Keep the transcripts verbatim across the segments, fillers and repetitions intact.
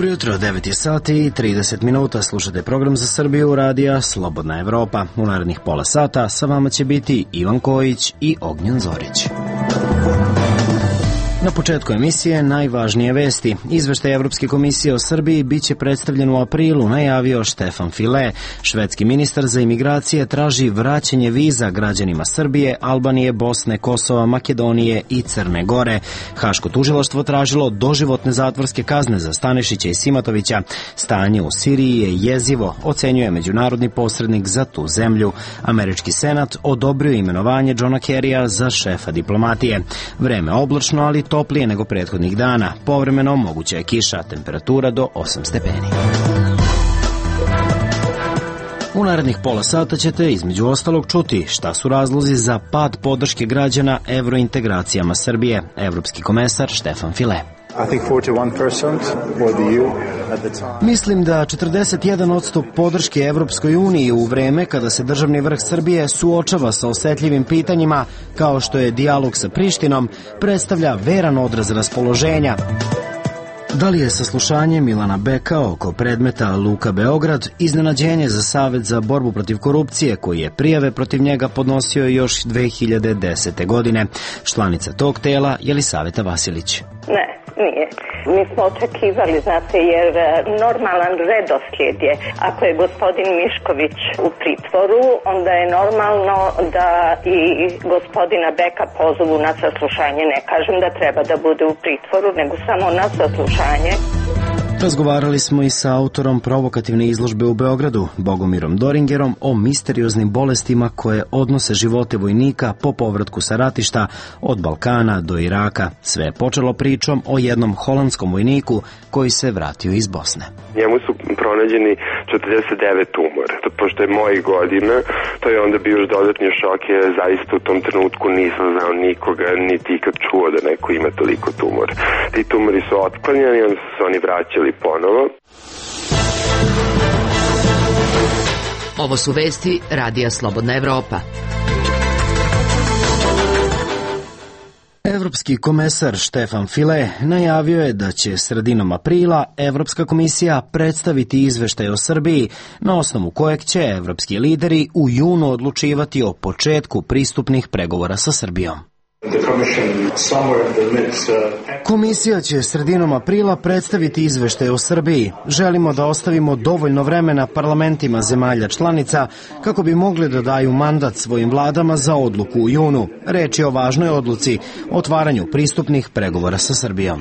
Dobro jutro, devet je sati i trideset minuta, slušate program za Srbiju radija Slobodna Evropa. U narednih pola sata sa vama će biti Ivan Kojić i Ognjen Zorić. Na početku emisije najvažnije vesti. Izveštaj Evropske komisije o Srbiji biće predstavljen u aprilu, najavio Štefan File. Švedski ministar za imigracije traži vraćanje viza građanima Srbije, Albanije, Bosne, Kosova, Makedonije i Crne Gore. Haško tužilaštvo tražilo doživotne zatvorske kazne za Stanišića i Simatovića. Stanje u Siriji je jezivo, ocenjuje međunarodni posrednik za tu zemlju. Američki senat odobrio imenovanje Johna Kerrya za šefa diplomatije. Vreme oblačno, ali toplije nego prethodnih dana. Povremeno moguća je kiša, temperatura do osam stepeni. U narednih pola sata ćete između ostalog čuti šta su razlozi za pad podrške građana evrointegracijama Srbije. Evropski komesar Štefan File. Mislim da četrdeset jedan posto podrške Evropskoj uniji u vreme kada se državni vrh Srbije suočava sa osetljivim pitanjima kao što je dijalog sa Prištinom predstavlja veran odraz raspoloženja. Da li je saslušanje Milana Beka oko predmeta Luka Beograd iznenađenje za Savet za borbu protiv korupcije koji je prijave protiv njega podnosio još dve hiljade desete. godine? Članica tog tela Jelisaveta Vasilić. Ne, nije. Mi smo očekivali, znate, jer normalan redoslijed je, ako je gospodin Mišković u pritvoru, onda je normalno da i gospodina Beka pozovu na saslušanje. Ne kažem da treba da bude u pritvoru, nego samo na saslušanje. Razgovarali smo i sa autorom provokativne izložbe u Beogradu, Bogomirom Doringerom, o misterioznim bolestima koje odnose živote vojnika po povratku sa ratišta od Balkana do Iraka. Sve je počelo pričom o jednom holandskom vojniku koji se vratio iz Bosne. Njemu su pronađeni četrdeset devet tumora. Pošto je mojih godina, to je onda bio još dodatni šok, jer zaista u tom trenutku nisam znao nikoga, niti ikad čuo da neko ima toliko tumora. Ti tumori su otklanjani, onda su se oni vraćali ponovo. Ovo su vesti Radija Slobodna Evropa. Evropski komesar Štefan File najavio je da će sredinom aprila Evropska komisija predstaviti izveštaj o Srbiji, na osnovu kojeg će evropski lideri u junu odlučivati o početku pristupnih pregovora sa Srbijom. Komisija će sredinom aprila predstaviti izveštaj o Srbiji. Želimo da ostavimo dovoljno vremena parlamentima zemalja članica kako bi mogli da daju mandat svojim vladama za odluku u junu. Reč je o važnoj odluci, otvaranju pristupnih pregovora sa Srbijom.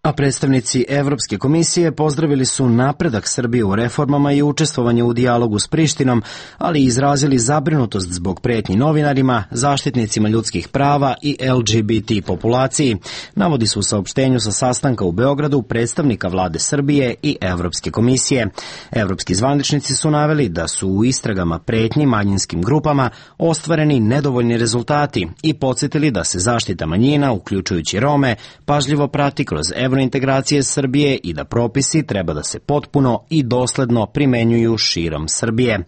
A predstavnici Evropske komisije pozdravili su napredak Srbije u reformama i učestvovanje u dijalogu s Prištinom, ali izrazili zabrinutost zbog pretnji novinarima, zaštitnicima ljudskih prava i L G B T populaciji, navodi se u saopštenju sa sastanka u Beogradu predstavnika vlade Srbije i Evropske komisije. Evropski zvaničnici su naveli da su u istragama pretnji manjinskim grupama ostvareni nedovoljni rezultati i podsjetili da se zaštita manjina, uključujući Rome, pažljivo prati kroz evrointegracije Srbije i da propisi treba da se potpuno i dosledno primenjuju širom Srbije.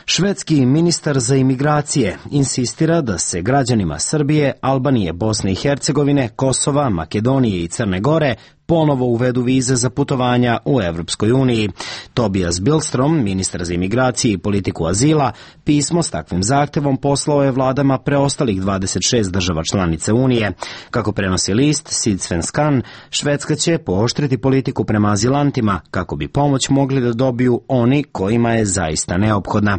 Švedski ministar za imigracije insistira da se građanima Srbije, Albanije, Bosne i Hercegovine, Kosova, Makedonije i Crne Gore ponovo uvedu vize za putovanja u Evropskoj uniji. Tobias Billström, ministar za imigracije i politiku azila, pismo s takvim zahtevom poslao je vladama preostalih dvadeset šest država članice Unije. Kako prenosi list Sydsvenskan, Švedska će pooštriti politiku prema azilantima kako bi pomoć mogli da dobiju oni kojima je zaista neophodna.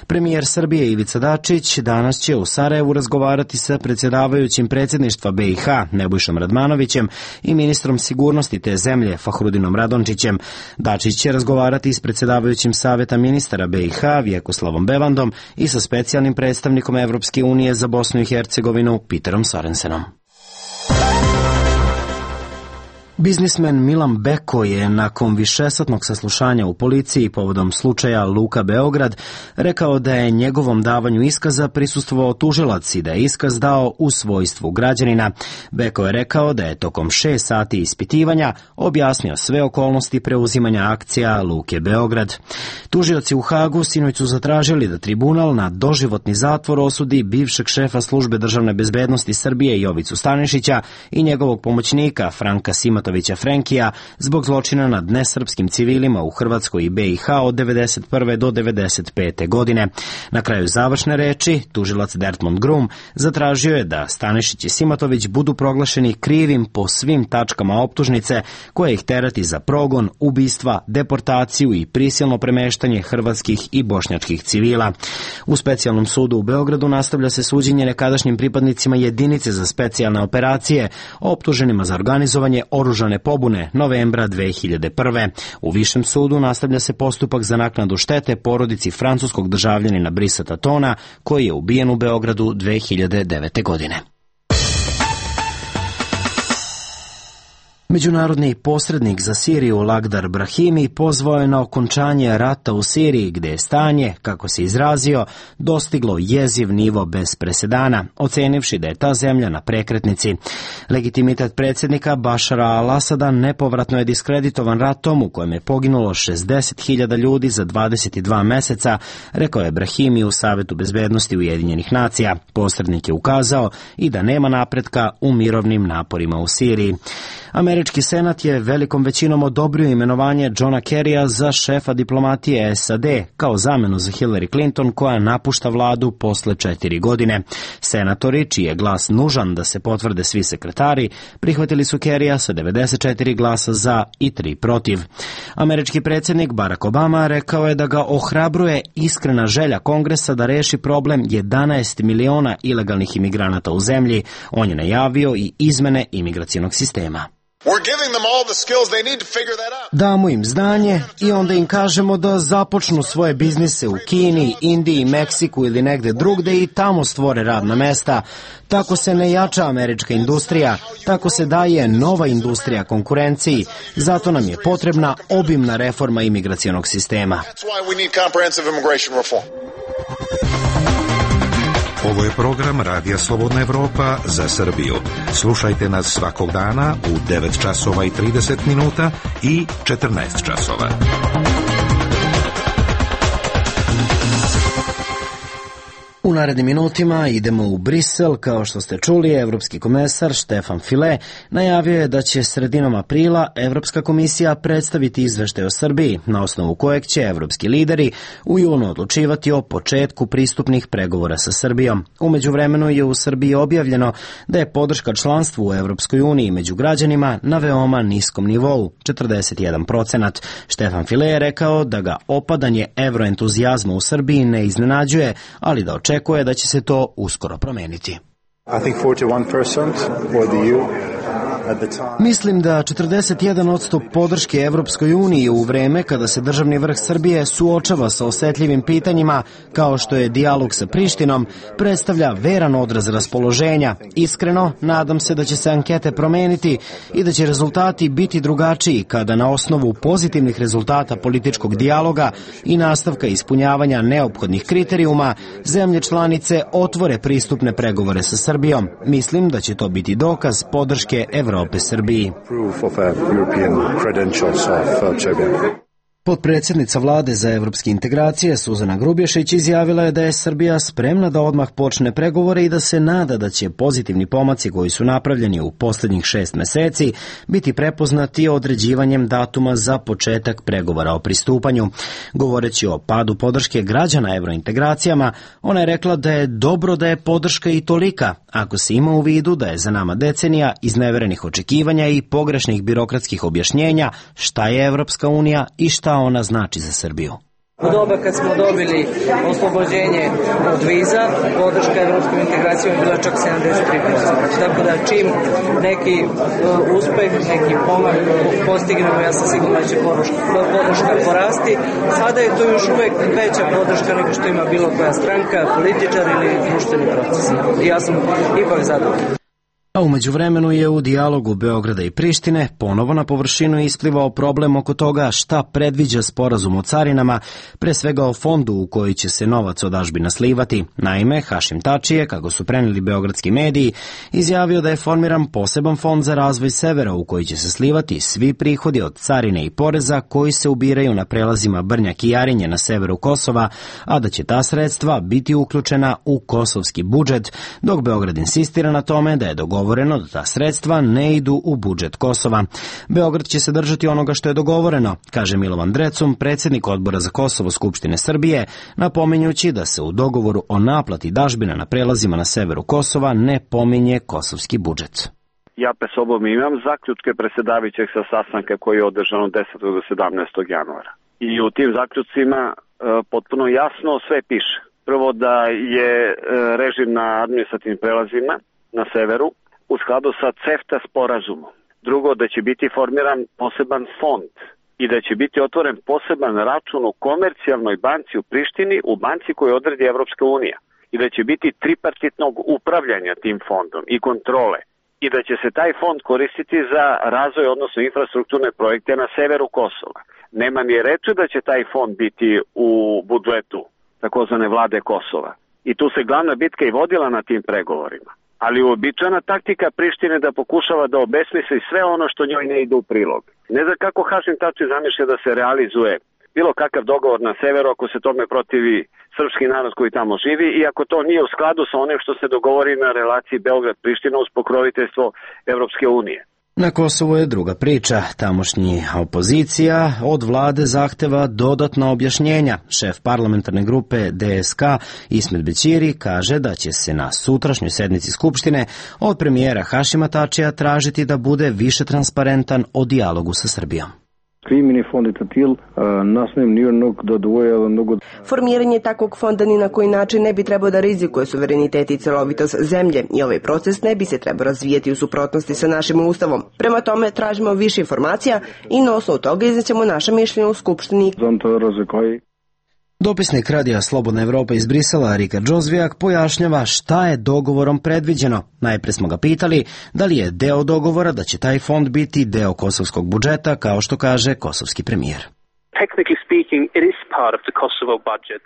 Premijer Srbije Ivica Dačić danas će u Sarajevu razgovarati sa predsjedavajućim predsjedništva B i H Nebojšom Radmanovićem i ministrom sigurnosti te zemlje Fahrudinom Radončićem. Dačić će razgovarati s predsjedavajućim Saveta ministara B i H Vjekoslavom Bevandom i sa specijalnim predstavnikom Evropske unije za Bosnu i Hercegovinu Peterom Sorensenom. Biznismen Milan Beko je nakon višesatnog saslušanja u policiji povodom slučaja Luka Beograd rekao da je njegovom davanju iskaza prisustvovao tužilac i da je iskaz dao u svojstvu građanina. Beko je rekao da je tokom šest sati ispitivanja objasnio sve okolnosti preuzimanja akcija Luke Beograd. Tužioci u Hagu sinoć su zatražili da tribunal na doživotni zatvor osudi bivšeg šefa službe državne bezbednosti Srbije Jovicu Stanišića i njegovog pomoćnika Franka Simatovića Simatovića Frenkija zbog zločina nad nesrpskim civilima u Hrvatskoj i be i ha od devedeset prve do devedeset pete. godine. Na kraju završne reči, tužilac Dertmond Grum zatražio je da Stanišić i Simatović budu proglašeni krivim po svim tačkama optužnice koje ih terati za progon, ubistva, deportaciju i prisilno premeštanje hrvatskih i bošnjačkih civila. U specijalnom sudu u Beogradu nastavlja se suđenje nekadašnjim pripadnicima jedinice za specijalne operacije, optuženima za organizovanje oružane pobune novembra dve hiljade prve. U višem sudu nastavlja se postupak za naknadu štete porodici francuskog državljanina Brisa Tatona, koji je ubijen u Beogradu dve hiljade devete. godine. Međunarodni posrednik za Siriju Lagdar Brahimi pozvao je na okončanje rata u Siriji, gde je stanje, kako se izrazio, dostiglo jeziv nivo bez presedana, ocenivši da je ta zemlja na prekretnici. Legitimitet predsjednika Bašara al-Asada nepovratno je diskreditovan ratom u kojem je poginulo šezdeset hiljada ljudi za dvadeset dva meseca, rekao je Brahimi u Savetu bezbednosti Ujedinjenih nacija. Posrednik je ukazao i da nema napretka u mirovnim naporima u Siriji. Američki senat je velikom većinom odobrio imenovanje Johna Kerrya za šefa diplomatije es a de kao zamenu za Hillary Clinton, koja napušta vladu posle četiri godine. Senatori, čiji je glas nužan da se potvrde svi sekretari, prihvatili su Kerrya sa devedeset četiri glasa za i tri protiv. Američki predsjednik Barack Obama rekao je da ga ohrabruje iskrena želja Kongresa da reši problem jedanaest miliona ilegalnih imigranata u zemlji. On je najavio i izmene imigracionog sistema. Damo im znanje i onda im kažemo da započnu svoje biznise u Kini, Indiji, Meksiku ili negde drugde i tamo stvore radna mesta. Tako se ne jača američka industrija, tako se daje nova industrija konkurenciji. Zato nam je potrebna obimna reforma imigracionog sistema. Ovo je program Radija Slobodna Evropa za Srbiju. Slušajte nas svakog dana u devet časova i trideset minuta i četrnaest časova. U narednim minutima idemo u Brisel. Kao što ste čuli, evropski komesar Štefan File najavio je da će sredinom aprila Evropska komisija predstaviti izveštaj o Srbiji, na osnovu kojeg će evropski lideri u junu odlučivati o početku pristupnih pregovora sa Srbijom. U međuvremenu je u Srbiji objavljeno da je podrška članstvu u Evropskoj uniji među građanima na veoma niskom nivou, četrdeset jedan procenat. Štefan File je rekao da ga opadanje evroentuzijazma u Srbiji ne iznenađuje, ali da očekuje Očekuje da će se to uskoro promeniti. Mislim da četrdeset jedan posto podrške Evropskoj uniji u vreme kada se državni vrh Srbije suočava sa osetljivim pitanjima kao što je dijalog sa Prištinom predstavlja veran odraz raspoloženja. Iskreno, nadam se da će se ankete promeniti i da će rezultati biti drugačiji kada na osnovu pozitivnih rezultata političkog dijaloga i nastavka ispunjavanja neophodnih kriterijuma zemlje članice otvore pristupne pregovore sa Srbijom. Mislim da će to biti dokaz podrške Evrope Srbiji. Potpredsjednica vlade za evropske integracije Suzana Grubješić izjavila je da je Srbija spremna da odmah počne pregovore i da se nada da će pozitivni pomaci koji su napravljeni u posljednjih šest meseci biti prepoznati određivanjem datuma za početak pregovora o pristupanju. Govoreći o padu podrške građana evrointegracijama, ona je rekla da je dobro da je podrška i tolika, ako se ima u vidu da je za nama decenija izneverenih očekivanja i pogrešnih birokratskih objašnjenja šta je Evropska unija i šta ona znači za Srbiju. U doba kad smo dobili oslobođenje od viza, podrška evropskom integracijom je bila čak sedamdeset tri posto. Tako da čim neki uh, uspeh, neki pomak postignemo, ja sam sigurno da će podrška porasti. Sada je to još uvek veća podrška nego što ima bilo koja stranka, političar ili društveni proces. I ja sam ipak zadovoljan. A umeđu vremenu je u dijalogu Beograda i Prištine ponovo na površinu isplivao problem oko toga šta predviđa sporazum o carinama, pre svega o fondu u koji će se novac od dažbina slivati. Naime, Hašim Tači je, kako su preneli beogradski mediji, izjavio da je formiran poseban fond za razvoj severa u koji će se slivati svi prihodi od carine i poreza koji se ubiraju na prelazima Brnjak i Jarinje na severu Kosova, a da će ta sredstva biti uključena u kosovski budžet, dok Beograd insistira na tome da je dogovoreno dogovoreno da ta sredstva ne idu u budžet Kosova. Beograd će se držati onoga što je dogovoreno, kaže Milovan Drecun, predsjednik Odbora za Kosovo Skupštine Srbije, napominjući da se u dogovoru o naplati dažbina na prelazima na severu Kosova ne pominje kosovski budžet. Ja pe sobom imam zaključke predsjedavajućeg sa sastanka koji je održan od desetog do sedamnaestog januara. I u tim zaključcima e, potpuno jasno sve piše. Prvo da je e, režim na administrativnim prelazima na severu u skladu sa CEFTA sporazumom. Drugo, da će biti formiran poseban fond i da će biti otvoren poseban račun u komercijalnoj banci u Prištini, u banci koju odredi Evropska unija. I da će biti tripartitnog upravljanja tim fondom i kontrole. I da će se taj fond koristiti za razvoj, odnosno infrastrukturne projekte na severu Kosova. Nema ni reči da će taj fond biti u budžetu takozvane vlade Kosova. I tu se glavna bitka i vodila na tim pregovorima. Ali uobičajena taktika Prištine da pokušava da obesmisli sve ono što njoj ne ide u prilog. Ne znam kako Hašim Tači zamišlja da se realizuje bilo kakav dogovor na severu ako se tome protivi srpski narod koji tamo živi i ako to nije u skladu sa onim što se dogovori na relaciji Beograd-Priština uz pokroviteljstvo Evropske unije. Na Kosovu je druga priča. Tamošnji opozicija od vlade zahteva dodatna objašnjenja. Šef parlamentarne grupe D S K Ismet Bećiri kaže da će se na sutrašnjoj sednici Skupštine od premijera Hašima Tačija tražiti da bude više transparentan o dijalogu sa Srbijom. Formiranje takvog fonda ni na koji način ne bi trebao da rizikuje suverenitet i celovitost zemlje i ovaj proces ne bi se trebao razvijeti u suprotnosti sa našim ustavom. Prema tome tražimo više informacija i na osnovu toga iznećemo naše mišljenje u Skupštini. Dopisnik Radija Slobodna Evropa iz Brisela, Rikard Džozvijak, pojašnjava šta je dogovorom predviđeno. Najpre smo ga pitali da li je deo dogovora da će taj fond biti deo kosovskog budžeta, kao što kaže kosovski premijer.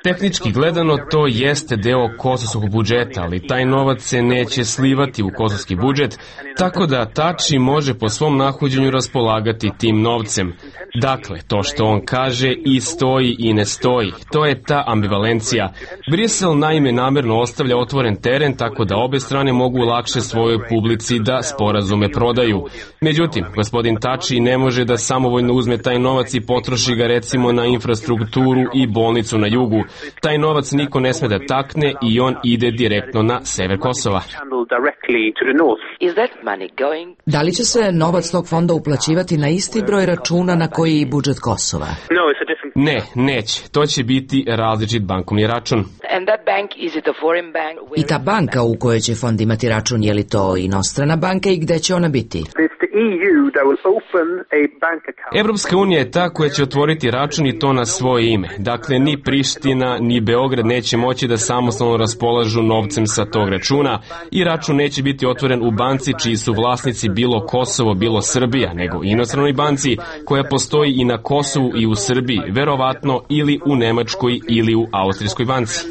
Tehnički gledano to jeste deo kosovskog budžeta, ali taj novac se neće slivati u kosovski budžet, tako da Tači može po svom nahođenju raspolagati tim novcem. Dakle, to što on kaže i stoji i ne stoji, to je ta ambivalencija. Brisel naime namerno ostavlja otvoren teren tako da obe strane mogu lakše svojoj publici da sporazume prodaju. Međutim, gospodin Tači ne može da samovoljno uzme taj novac i potroši ga recimo na infrastrukturu i bolnicu na jugu. Taj novac niko ne sme da takne i on ide direktno na sever Kosova. Da li će se novac tog fonda uplaćivati na isti broj računa na koji i budžet Kosova? Ne, neće. To će biti različit bankovni račun. I ta banka u kojoj će fond imati račun, je li to inostrana banka i gde će ona biti? Evropska unija je ta koja će otvoriti račun i to na svoje ime. Dakle, ni Priština, ni Beograd neće moći da samostalno raspolažu novcem sa tog računa i račun neće biti otvoren u banci čiji su vlasnici bilo Kosovo, bilo Srbija, nego inostranoj banci koja postoji i na Kosovu i u Srbiji, verovatno ili u Nemačkoj ili u Austrijskoj banci.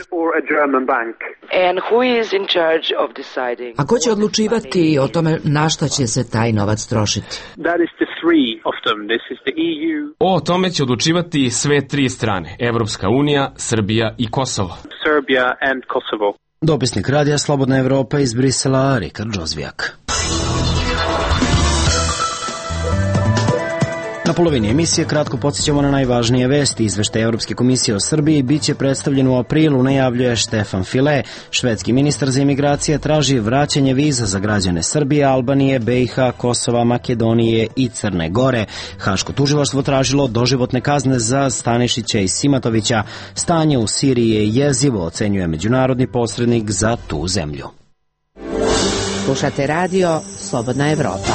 A ko će odlučivati o tome na šta će se taj novac trošiti? O tome će odlučivati sve tri strane, Evropska unija, Srbija i Kosovo. Dopisnik Radija Slobodna Evropa iz Brisela, Rikard Džozvijak. Na polovini emisije kratko podsjećamo na najvažnije vesti. Izveštaj Evropske komisije o Srbiji biće predstavljen u aprilu, najavljuje Štefan File. Švedski ministar za imigracije traži vraćanje viza za građane Srbije, Albanije, B i H, Kosova, Makedonije i Crne Gore. Haško tužilaštvo tražilo doživotne kazne za Stanišića i Simatovića. Stanje u Siriji je jezivo, ocenjuje međunarodni posrednik za tu zemlju. Slušate radio Slobodna Evropa.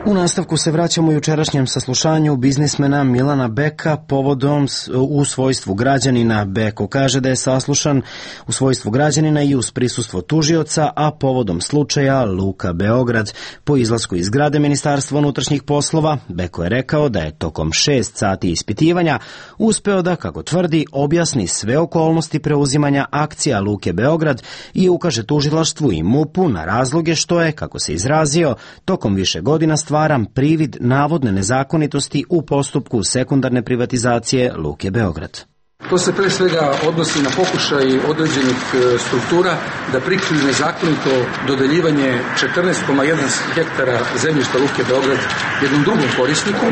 U nastavku se vraćamo jučerašnjem saslušanju biznismena Milana Beka povodom u svojstvu građanina. Beko kaže da je saslušan u svojstvu građanina i uz prisustvo tužioca, a povodom slučaja Luka Beograd. Po izlasku iz zgrade Ministarstva unutrašnjih poslova, Beko je rekao da je tokom šest sati ispitivanja uspeo da, kako tvrdi, objasni sve okolnosti preuzimanja akcija Luke Beograd i ukaže tužilaštvu i MUP-u na razloge što je, kako se izrazio, tokom više godina stvar stvaram privid navodne nezakonitosti u postupku sekundarne privatizacije Luke Beograd. To se pre svega odnosi na pokušaj određenih struktura da prikriju nezakonito dodeljivanje četrnaest zarez jedan hektara zemljišta Luke Beograd jednom drugom korisniku,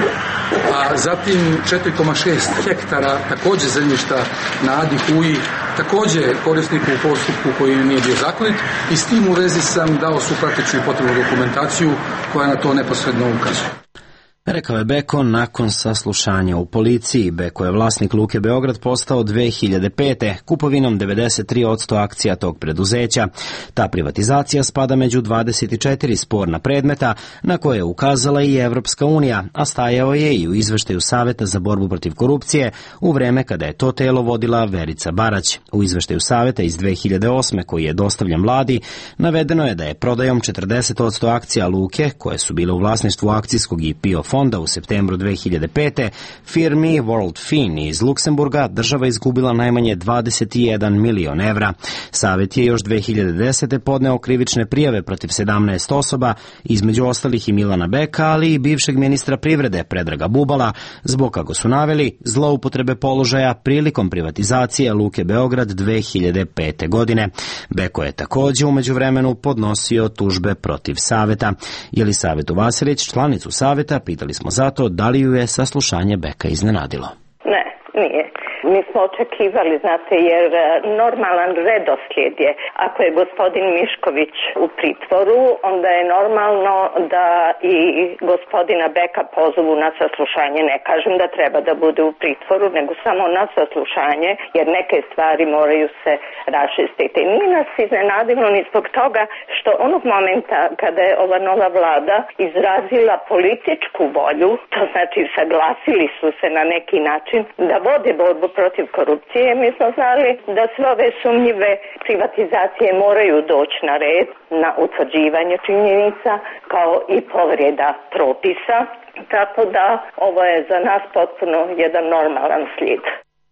a zatim četiri zarez šest hektara takođe zemljišta na Adi Huji, takođe korisniku u postupku koji nije bio zakonit, i s tim u vezi sam dao svu prateću i potrebnu dokumentaciju koja na to neposredno ukazuje. Rekao je Beko nakon saslušanja u policiji. Beko je vlasnik Luke Beograd postao dve hiljade pete kupovinom devedeset tri posto akcija tog preduzeća. Ta privatizacija spada među dvadeset četiri sporna predmeta na koje je ukazala i Evropska unija, a stajao je i u izveštaju Saveta za borbu protiv korupcije u vreme kada je to telo vodila Verica Barać. U izveštaju Saveta iz dve hiljade osme koji je dostavljan vladi navedeno je da je prodajom četrdeset posto akcija Luke, koje su bile u vlasništvu akcijskog i P I O fonda u septembru dve hiljade pete, firmi World Fin iz Luksemburga država izgubila najmanje dvadeset jedan milion evra. Savet je još dve hiljade desete podneo krivične prijave protiv sedamnaest osoba, između ostalih i Milana Beka, ali i bivšeg ministra privrede Predraga Bubala, zbog, kako su naveli, zloupotrebe položaja prilikom privatizacije Luke Beograd dve hiljade pete. godine. Beko je takođe u međuvremenu podnosio tužbe protiv Saveta. Jelisavetu Vasilić, članicu Saveta, pitali smo zato da li ju je saslušanje Beka iznenadilo. Ne, nije. Mi smo očekivali, znate, jer normalan redoslijed je, ako je gospodin Mišković u pritvoru, onda je normalno da i gospodina Beka pozovu na saslušanje. Ne kažem da treba da bude u pritvoru, nego samo na saslušanje, jer neke stvari moraju se raščistiti. Nije nas iznenadilo ni zbog toga što onog momenta kada je ova nova vlada izrazila političku volju, to znači saglasili su se na neki način da vode borbu protiv korupcije, mi smo znali da sve ove sumnjive privatizacije moraju doći na red, na utvrđivanje činjenica, kao i povreda propisa, tako da ovo je za nas potpuno jedan normalan slijed.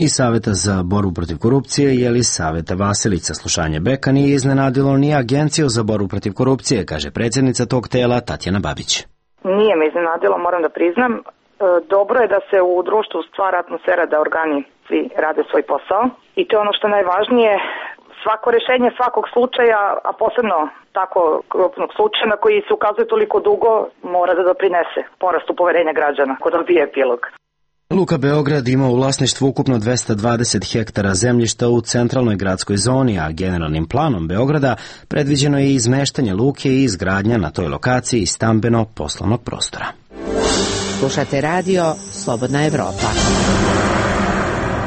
I Saveta za borbu protiv korupcije Jelisaveta Vasilić. Saslušanje Beka nije iznenadilo ni Agenciju za borbu protiv korupcije, kaže predsjednica tog tela Tatjana Babić. Nije me iznenadilo, moram da priznam. Dobro je da se u društvu stvara atmosfera da organi svi rade svoj posao i to je ono što je najvažnije. Svako rešenje svakog slučaja, a posebno tako krupnog slučaja na koji se ukazuje toliko dugo, mora da doprinese porastu poverenja građana kod dobije epilog. Luka Beograd ima u vlasništvu ukupno dvesta dvadeset hektara zemljišta u centralnoj gradskoj zoni, a generalnim planom Beograda predviđeno je izmeštanje luke i izgradnja na toj lokaciji stambeno-poslovnog prostora. Slušate radio Slobodna Evropa.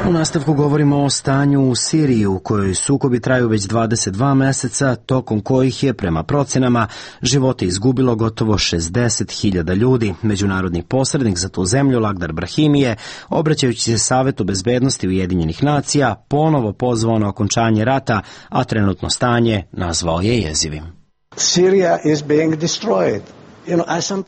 U nastavku govorimo o stanju u Siriji u kojoj sukobi traju već dvadeset dva meseca, tokom kojih je prema procenama živote izgubilo gotovo šezdeset hiljada ljudi. Međunarodni posrednik za tu zemlju Lagdar Brahimi je, obraćajući se Savetu bezbednosti Ujedinjenih nacija, ponovo pozvao na okončanje rata, a trenutno stanje nazvao je jezivim. Syria is being destroyed.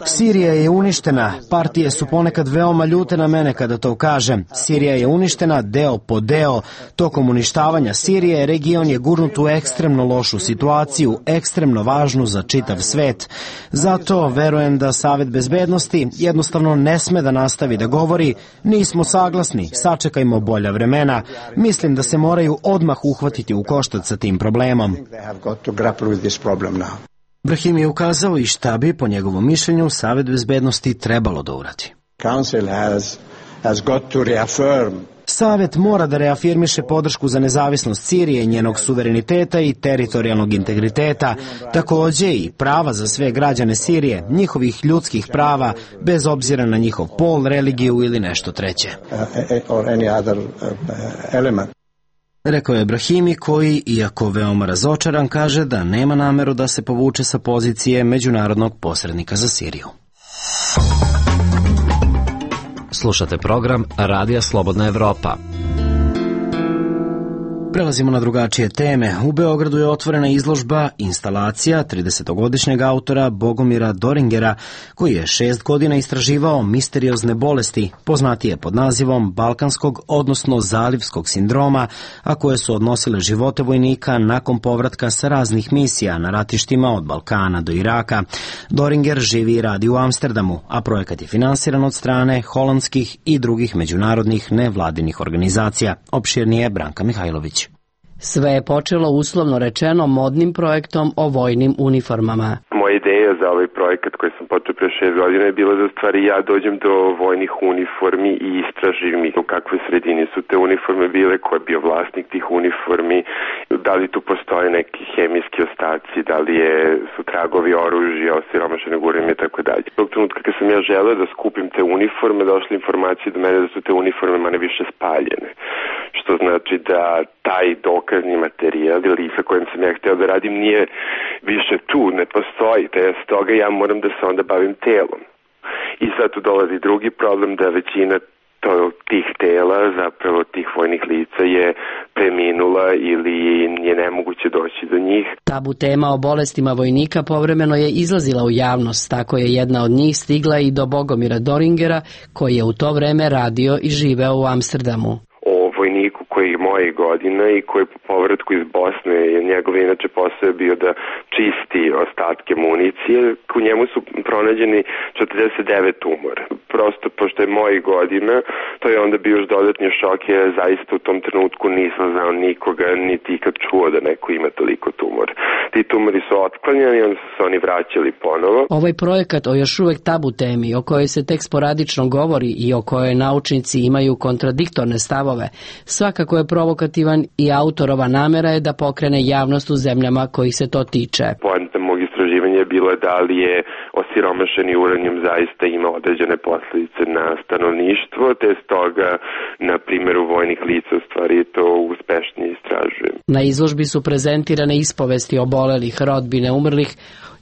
Sirija je uništena. Partije su ponekad veoma ljute na mene kada to kažem. Sirija je uništena deo po deo. Tokom uništavanja Sirije region je gurnut u ekstremno lošu situaciju, ekstremno važnu za čitav svet. Zato verujem da Savet bezbednosti jednostavno ne sme da nastavi da govori nismo saglasni, sačekajmo bolja vremena. Mislim da se moraju odmah uhvatiti u koštac sa tim problemom. Brahim je ukazao i šta bi, po njegovom mišljenju, Savet bezbednosti trebalo da uradi. Savet mora da reafirmiše podršku za nezavisnost Sirije, njenog suvereniteta i teritorijalnog integriteta, takođe i prava za sve građane Sirije, njihovih ljudskih prava, bez obzira na njihov pol, religiju ili nešto treće. Rekao je Brahimi koji, iako veoma razočaran, kaže da nema nameru da se povuče sa pozicije međunarodnog posrednika za Siriju. Slušate program Radija Slobodna Evropa. Prelazimo na drugačije teme. U Beogradu je otvorena izložba instalacija tridesetogodišnjeg autora Bogomira Doringera, koji je šest godina istraživao misteriozne bolesti, poznatije pod nazivom balkanskog, odnosno zalivskog sindroma, a koje su odnosile živote vojnika nakon povratka sa raznih misija na ratištima od Balkana do Iraka. Doringer živi i radi u Amsterdamu, a projekat je finansiran od strane holandskih i drugih međunarodnih nevladinih organizacija. Opširnije Branka Mihajlović. Sve je počelo uslovno rečeno modnim projektom o vojnim uniformama. Moja ideja za ovaj projekat koji sam počeo pre šest godina je bila da u stvari ja dođem do vojnih uniformi i istražim ih u kakve sredini su te uniforme bile, ko je bio vlasnik tih uniformi, da li tu postoje neki hemijski ostaci, da li je, su tragovi oružja, osiromašenog uranijuma i tako dalje. Tog trenutka kad sam ja želeo da skupim te uniforme, došle informacije do mene da su te uniforme manje više spaljene. Što znači da taj dokazni materijal ili sa kojim sam ja hteo da radim nije više tu, ne postoji, te stoga ja moram da se onda bavim telom. I sad tu dolazi drugi problem da većina to, tih tela, zapravo tih vojnih lica je preminula ili je nemoguće doći do njih. Tabu tema o bolestima vojnika povremeno je izlazila u javnost, tako je jedna od njih stigla i do Bogomira Doringera, koji je u to vreme radio i živeo u Amsterdamu. Vojniku koji je mojih godina i koji po povratku iz Bosne, njegov inače posao je bio da čisti ostatke municije, u njemu su pronađeni četrdeset devet tumora. Prosto, pošto je mojih godina, to je onda bio još dodatni šok, je zaista u tom trenutku nisam znao nikoga, niti ikad čuo da neko ima toliko tumora. Ti tumori su otklanjani i onda su se oni vraćali ponovo. Ovaj projekat o još uvek tabu temi, o kojoj se tek sporadično govori i o kojoj naučnici imaju kontradiktorne stavove, svakako je provokativan i autorova namera je da pokrene javnost u zemljama kojih se to tiče. Poenta mog istraživanja je bila da li je osiromašeni uranijum zaista ima određene posljedice na stanovništvo, te stoga na primjeru vojnih lica u stvari to uspešnije istražujem. Na izložbi su prezentirane ispovesti obolelih, rodbine umrlih,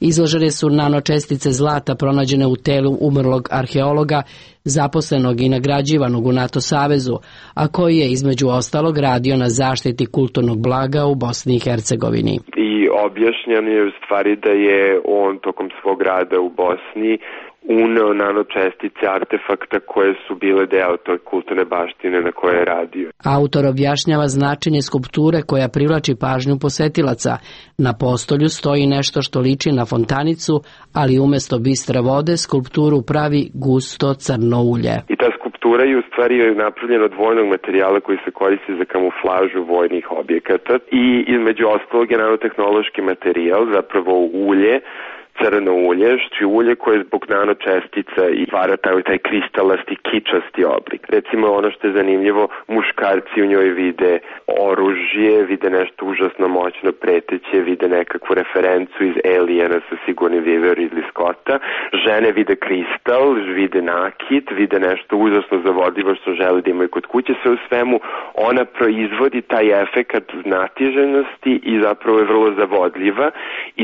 izložene su nanočestice zlata pronađene u telu umrlog arheologa, zaposlenog i nagrađivanog u NATO savezu, a koji je između ostalog radio na zaštiti kulturnog blaga u Bosni i Hercegovini. I objašnjeno je u stvari da je on tokom svog rada u Bosni uneo nanočestice artefakta koje su bile deo toj kulturne baštine na kojoj je radio. Autor objašnjava značenje skulpture koja privlači pažnju posetilaca. Na postolju stoji nešto što liči na fontanicu, ali umjesto bistre vode skulpturu pravi gusto crno ulje. I ta skulptura je u stvari napravljena od vojnog materijala koji se koristi za kamuflažu vojnih objekata i između ostalog je nanotehnološki materijal, zapravo ulje, crno ulje, što je ulje koje zbog nanočestica i stvara taj, taj kristalasti, kičasti oblik. Recimo ono što je zanimljivo, muškarci u njoj vide oružje, vide nešto užasno moćno preteće, vide nekakvu referencu iz Aliena sa Sigourney Weaver Ridley Scotta, žene vide kristal, vide nakit, vide nešto užasno zavodljivo što žele da imaju kod kuće, sve u svemu ona proizvodi taj efekat znatiželjnosti i zapravo je vrlo zavodljiva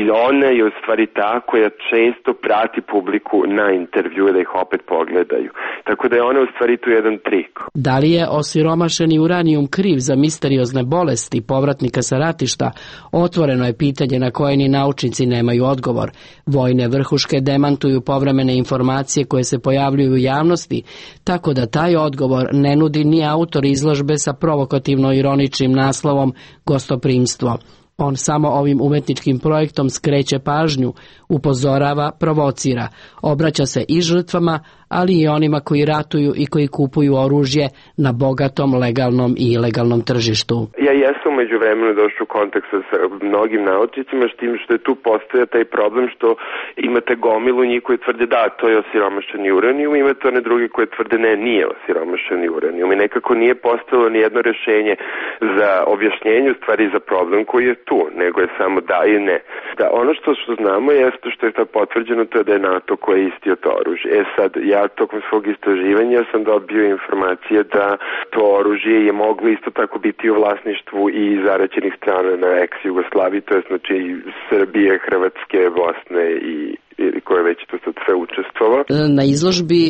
i ona je u stvari ta koja često prati publiku na intervju da ih opet pogledaju. Tako da je ona u stvari tu jedan trik. Da li je osiromašeni uranijum kriv za misteriozne bolesti povratnika sa ratišta? Otvoreno je pitanje na koje ni naučnici nemaju odgovor. Vojne vrhuške demantuju povremene informacije koje se pojavljuju u javnosti, tako da taj odgovor ne nudi ni autor izložbe sa provokativno-ironičnim naslovom Gostoprimstvo. On samo ovim umetničkim projektom skreće pažnju, upozorava, provocira, obraća se i žrtvama, ali i onima koji ratuju i koji kupuju oružje na bogatom, legalnom i ilegalnom tržištu. Ja jesam među vremenu došao u kontakt sa mnogim naučnicima, s tim što je tu postoja taj problem što imate gomilu njih koji tvrde da, to je osiromašeni uranijum, imate one druge koje tvrde ne, nije osiromašeni uranijum i nekako nije postalo ni jedno rešenje za objašnjenje u stvari za problem koji je tu, nego je samo da i ne. Da, ono što, što znamo jeste što je to potvrđeno, to je da je NATO koji je istio to oružje. E sad, ja tokom svog istraživanja sam dobio informacije da to oružje je moglo isto tako biti u vlasništvu i zaraćenih strana na ex-Jugoslaviji, to je znači Srbije, Hrvatske, Bosne i ili koje već to sad sve učestvova. Na izložbi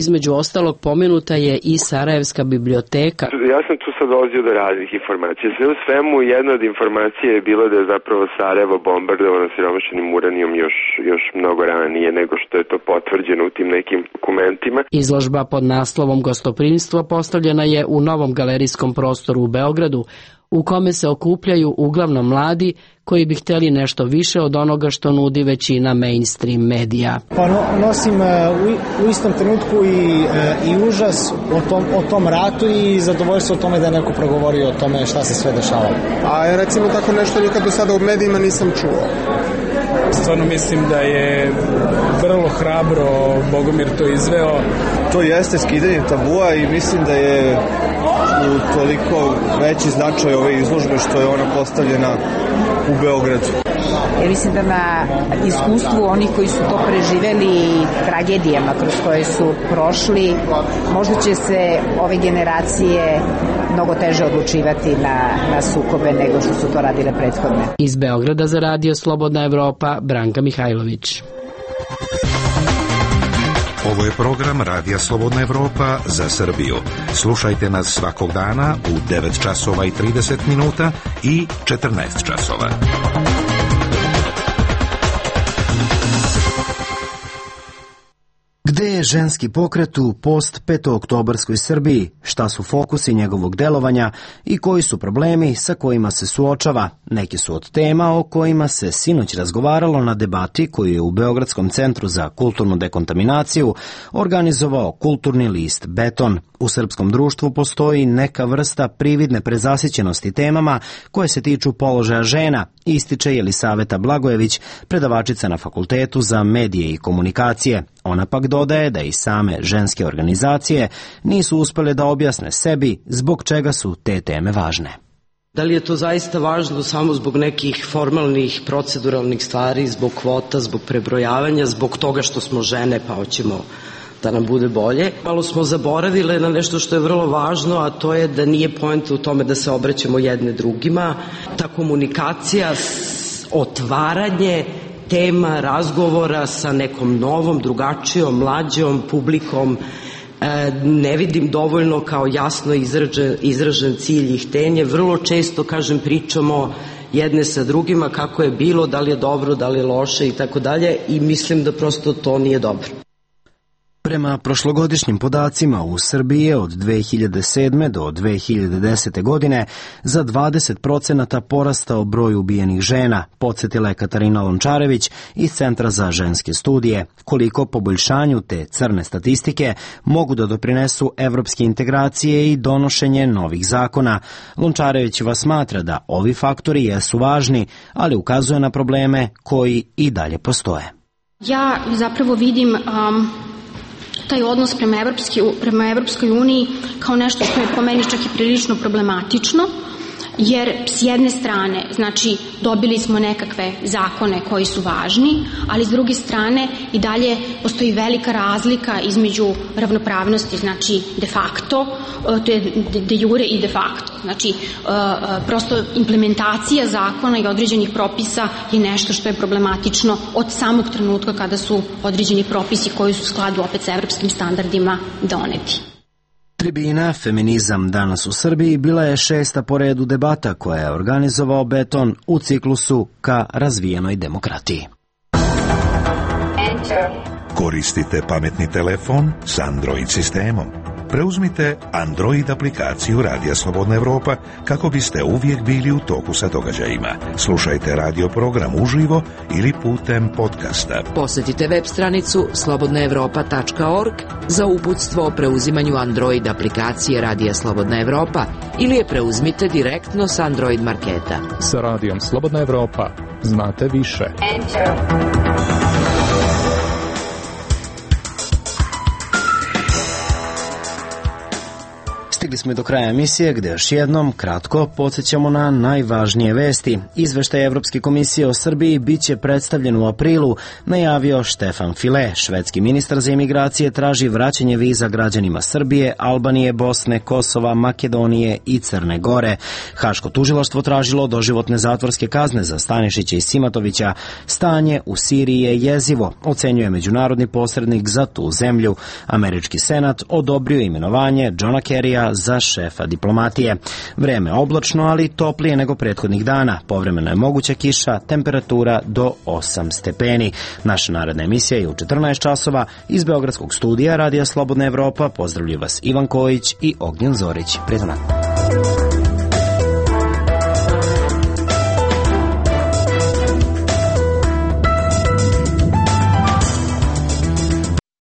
između ostalog pomenuta je i Sarajevska biblioteka. Ja sam tu sad dolazio do raznih informacija. Sve u svemu jedna od informacija je bila da je zapravo Sarajevo bombardovano siromašenim uranijom još, još mnogo ranije nego što je to potvrđeno u tim nekim dokumentima. Izložba pod naslovom Gostoprimstvo postavljena je u novom galerijskom prostoru u Beogradu, u kome se okupljaju uglavnom mladi koji bi htjeli nešto više od onoga što nudi većina mainstream medija. Pa no, nosim uh, u, u istom trenutku i, uh, i užas o tom, o tom ratu i zadovoljstvo o tome da je neko progovorio o tome šta se sve dešavalo. A recimo tako nešto nikad do sada u medijima nisam čuo. Stvarno mislim da je vrlo hrabro Bogomir to izveo. To jeste skidanje tabua i mislim da je u toliko veći značaj ove izložbe što je ona postavljena u Beogradu. Ja mislim da na iskustvu onih koji su to preživeli i tragedijama kroz koje su prošli, možda će se ove generacije mnogo teže odlučivati na, na sukobe nego što su to radile prethodne. Iz Beograda za radio Slobodna Evropa, Branka Mihajlović. Ovo je program Radija Slobodna Evropa za Srbiju. Slušajte nas svakog dana u devet časova i trideset minuta i četrnaest časova. Gde je ženski pokret u post-petooktobarskoj Srbiji, šta su fokusi njegovog delovanja i koji su problemi sa kojima se suočava? Neki su od tema o kojima se sinoć razgovaralo na debati koju je u Beogradskom centru za kulturnu dekontaminaciju organizovao kulturni list Beton. U srpskom društvu postoji neka vrsta prividne prezasićenosti temama koje se tiču položaja žena, ističe Jelisaveta Blagojević, predavačica na Fakultetu za medije i komunikacije. Ona pak dodaje da i same ženske organizacije nisu uspele da objasne sebi zbog čega su te teme važne. Da li je to zaista važno samo zbog nekih formalnih, proceduralnih stvari, zbog kvota, zbog prebrojavanja, zbog toga što smo žene pa hoćemo da nam bude bolje? Malo smo zaboravile na nešto što je vrlo važno, a to je da nije poenta u tome da se obraćamo jedne drugima. Ta komunikacija, otvaranje tema razgovora sa nekom novom, drugačijom, mlađom publikom, ne vidim dovoljno kao jasno izražen, izražen cilj i htenje. Vrlo često, kažem, pričamo jedne sa drugima kako je bilo, da li je dobro, da li je loše i tako dalje, i mislim da prosto to nije dobro. Prema prošlogodišnjim podacima u Srbiji je od dve hiljade sedme do dve hiljade desete godine za dvadeset procenata porastao broj ubijenih žena, podsjetila je Katarina Lončarević iz Centra za ženske studije. Koliko poboljšanju te crne statistike mogu da doprinesu evropske integracije i donošenje novih zakona. Lončarevićeva smatra da ovi faktori jesu važni, ali ukazuje na probleme koji i dalje postoje. Ja zapravo vidim um, taj odnos prema, Evropski, prema Evropskoj uniji kao nešto što je po meni čak i prilično problematično, jer s jedne strane, znači, dobili smo nekakve zakone koji su važni, ali s druge strane i dalje postoji velika razlika između ravnopravnosti, znači de facto, to je de jure i de facto. Znači, prosto implementacija zakona i određenih propisa je nešto što je problematično od samog trenutka kada su određeni propisi koji su u skladu opet sa evropskim standardima doneti. Tribina Feminizam danas u Srbiji bila je šesta po redu debata koja je organizovao Beton u ciklusu ka razvijenoj demokratiji. Koristite pametni telefon s Android sistemom. Preuzmite Android aplikaciju Radija Slobodna Evropa kako biste uvijek bili u toku sa događajima. Slušajte radio program uživo ili putem podcasta. Posjetite web stranicu slobodna evropa tačka org za uputstvo o preuzimanju Android aplikacije Radija Slobodna Evropa ili je preuzmite direktno s Android marketa. Sa Radijom Slobodna Evropa znate više. Stigli smo i do kraja emisije gde još jednom kratko podsjećamo na najvažnije vesti. Izveštaj Evropske komisije o Srbiji biće predstavljen u aprilu, najavio Štefan File. Švedski ministar za imigracije traži vraćanje viza građanima Srbije, Albanije, Bosne, Kosova, Makedonije i Crne Gore. Haško tužilaštvo tražilo doživotne zatvorske kazne za Stanišića i Simatovića. Stanje u Siriji je jezivo, ocenjuje međunarodni posrednik za tu zemlju. Američki senat odobrio imenovanje Johna Kerrya za šefa diplomatije. Vreme oblačno, ali toplije nego prethodnih dana. Povremeno je moguća kiša, temperatura do osam stepeni. Naša naredna emisija je u četrnaest časova iz Beogradskog studija Radija Slobodna Evropa. Pozdravljaju vas Ivan Kojić i Ognjen Zorić. Prijetno.